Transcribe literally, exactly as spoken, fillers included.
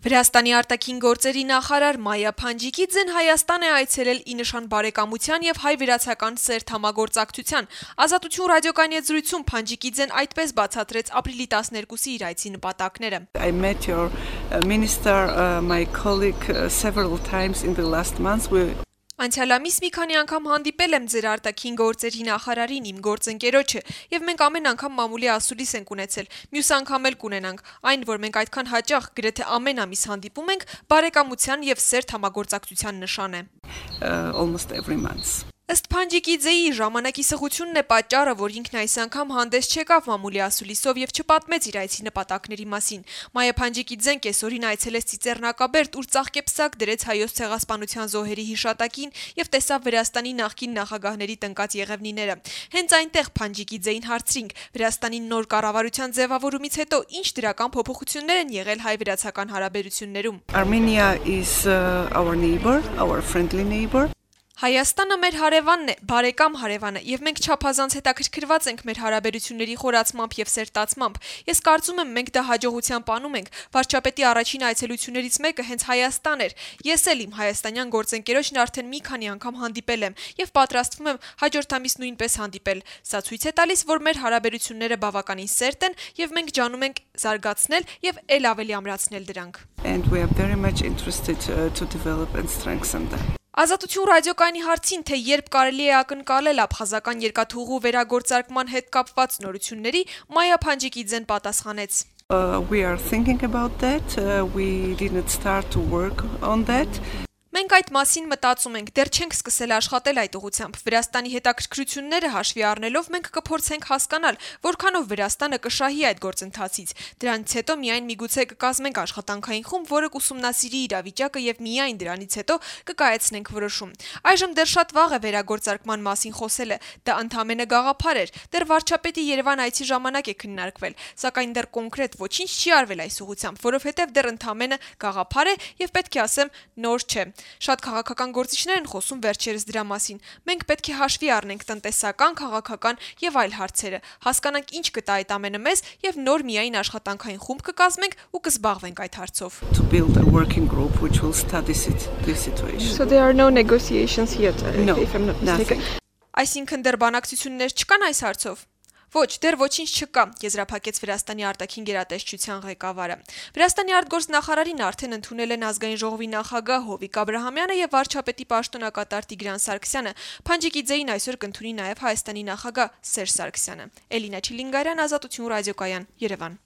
Վրաստանի արտաքին գործերի նախարար Մայա Փանջիկիձեն Հայաստան է այցելել ի նշան բարեկամության եւ հայ-վրացական սերտ համագործակցության։ Ազատություն ռադիոկայանի հետ զրույցում Փանջիկիձեն այդպես բացատրեց ապրիլի տասներկուսի իր այցի նպատակները։ I met your uh, minister, uh, my colleague uh, several times in the last months. We Անցյալ ամիս մի քանի անգամ հանդիպել եմ ձեր արտաքին գործերի նախարարին, իմ գործընկերոջը, եւ մենք ամեն անգամ մամուլի ասուլիս ենք ունեցել։ Մյուս անգամ էլ կունենանք։ Այն, որ մենք այդքան հաճախ գրեթե ամեն ամիս հանդիպում ենք, բարեկամության եւ սերտ համագործակցության նշան է։ uh, almost every month. Ըստ Փանջիկիձեի ժամանակի սղությունն է պատճառը, որ ինքն այս անգամ հանդես չեկավ մամուլի ասուլիսով եւ չպատմեց իր այցի նպատակների մասին։ Մայա Փանջիկիձեն կեսօրին այցելեց Ծիծեռնակաբերդ, ուր ծաղկեպսակ դրեց հայոց ցեղասպանության զոհերի հիշատակին եւ տեսավ Վրաստանի նախկին նախագահների տնկած եղևնիները։ Հենց այնտեղ Փանջիկիձեին հարցրինք. Վրաստանի նոր կառավարության ձևավորումից հետո ինչ դրական փոփոխություններ են եղել հայ-վրացական հարաբերություններում։ Armenia is uh, our neighbor, our friendly neighbor. Հայաստանը մեր հարևանն է, բարեկամ հարևանը, եւ մենք չափազանց հետաքրքրված ենք մեր հարաբերությունների խորացմամբ եւ սերտացմամբ։ Ես կարծում եմ, մենք դա հաջողությամբ անում ենք։ Վարչապետի առաջին այցելություններից մեկը հենց Հայաստան էր։ Ես էլ իմ հայաստանյան գործընկերոջն արդեն մի քանի անգամ հանդիպել եմ եւ պատրաստվում եմ հաջորդ ամիս նույնպես հանդիպել։ Սա ցույց է տալիս, որ մեր հարաբերությունները բավականին սերտ են եւ մենք ջանում ենք զարգացնել եւ ել ավելի ամրացնել դրանք։ And we are very much interested uh, to develop and strengthen them. Ազատություն ռադիոկայանի հարցին, թե երբ կարելի է ակնկալել աբխազական երկաթուղու վերագործարկման հետ կապված նորությունների, Մայա Փանջիկիձեն պատասխանեց. Uh, we are thinking about that. Uh, we didn't start to work on that. Մենք այդ մասին մտածում ենք, դեռ չենք սկսել աշխատել այդ ուղղությամբ։ Վրաստանի հետաքրքրությունները հաշվի առնելով մենք կփորձենք հասկանալ, որքանով Վրաստանը կշահի այդ գործընթացից։ Դրանից հետո միայն միգուցե կկազմենք աշխատանքային խումբ, որը կուսումնասիրի իրավիճակը եւ միայն դրանից հետո կկայացնենք որոշում։ Այժմ դեռ շատ վաղ է վերագործարկման մասին խոսելը, դա ընդամենը գաղափար էր։ Դեռ վարչապետի Երևան այցի ժամանակ է քննարկվել, սակայն դեռ կոնկրետ ոչինչ չի արվել այս ուղղությամբ, որովհետեւ դեռ ընդամենը գաղափար է եւ պետք է ասեմ նոր չէ։ Շատ քաղաքական գործիչներ են խոսում վերջերս դրա մասին։ Մենք պետք է հաշվի առնենք տնտեսական, քաղաքական եւ այլ հարցերը, հասկանանք ինչ կտա այդ ամենը մեզ եւ նոր միայն աշխատանքային խումբ կկազմենք ու կզբաղվենք այդ հարցով։ To build a working group which will study this situation. So there are no negotiations yet, No, if I'm not mistaken. Այսինքն դեռ բանակցություններ չկան այս հարցով։ Ոչ, դեռ ոչինչ չկա, եզրափակեց Վրաստանի արտաքին գերատեսչության ղեկավարը։ Վրաստանի արտգործնախարարին արդեն ընդունել են ազգային ժողովի նախագահ Հովիկ Աբրահամյանը եւ վարչապետի պաշտոնակատար Տիգրան Սարգսյանը։ Փանջիկիձեին այսօր կընդունի նաեւ Հայաստանի նախագահ Սերժ Սարգսյանը։ Էլինա Չիլինգարյան, Ազատություն ռադիոկայան, Երևան։